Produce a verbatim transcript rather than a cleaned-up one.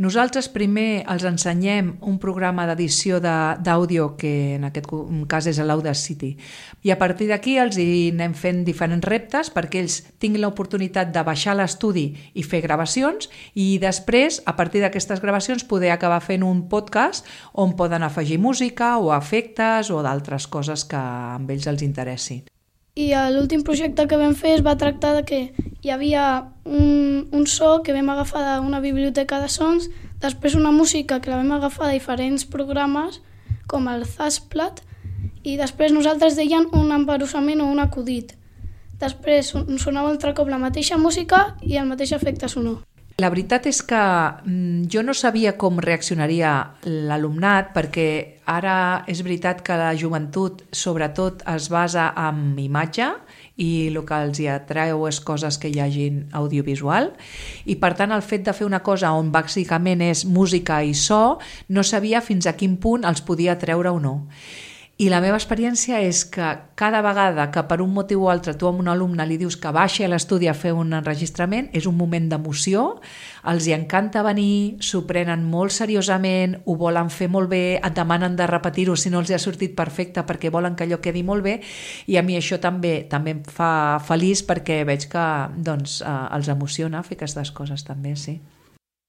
Nosaltres primer els ensenyem un programa d'edició d'àudio, que en aquest cas és l'Audacity, i a partir d'aquí els hi anem fent diferents reptes perquè ells tinguin l'oportunitat de baixar l'estudi i fer gravacions, i després, a partir d'aquestes gravacions, poder acabar fent un podcast on poden afegir música o efectes o d'altres coses que a ells els interessi. I l'últim projecte que vam fer es va tractar de que hi havia un, un so que vam agafar d'una biblioteca de sons, després una música que la vam agafar de diferents programes, com el Zasplat, i després nosaltres deien un embarussament o un acudit. Després sonava altre cop la mateixa música i el mateix efecte sonor. La veritat és que jo no sabia com reaccionaria l'alumnat, perquè ara és veritat que la joventut sobretot es basa en imatge i el que els hi atreu és coses que hi hagin audiovisual, i per tant el fet de fer una cosa on bàsicament és música i so, no sabia fins a quin punt els podia treure o no. I la meva experiència és que cada vegada que per un motiu o altre tu a un alumne li dius que baixi a l'estudi a fer un enregistrament, és un moment d'emoció, els hi encanta venir, s'ho prenen molt seriosament, ho volen fer molt bé, et demanen de repetir-ho si no els ha sortit perfecte perquè volen que allò quedi molt bé, i a mi això també també em fa feliç perquè veig que doncs, eh, els emociona fer aquestes coses també, sí.